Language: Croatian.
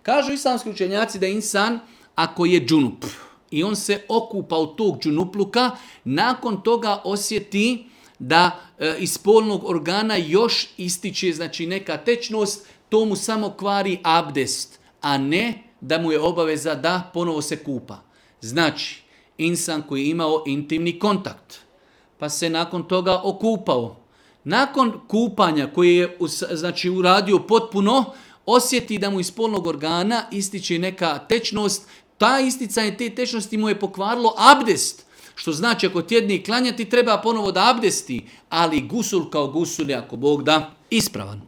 Kažu islamski učenjaci da insan, ako je džunup i on se okupa od tog džunupluka, nakon toga osjeti da iz spolnog organa još ističe znači neka tečnost, to mu samo kvari abdest, a ne da mu je obaveza da ponovo se kupa. Znači, insan koji je imao intimni kontakt, pa se nakon toga okupao, nakon kupanja koje je znači, uradio potpuno, osjeti da mu iz spolnog organa ističe neka tečnost, ta isticanje te tečnosti mu je pokvarilo abdest. Što znači ako tjedni klanjati treba ponovo da abdesti, ali gusul kao gusul je ako Bog da ispravan.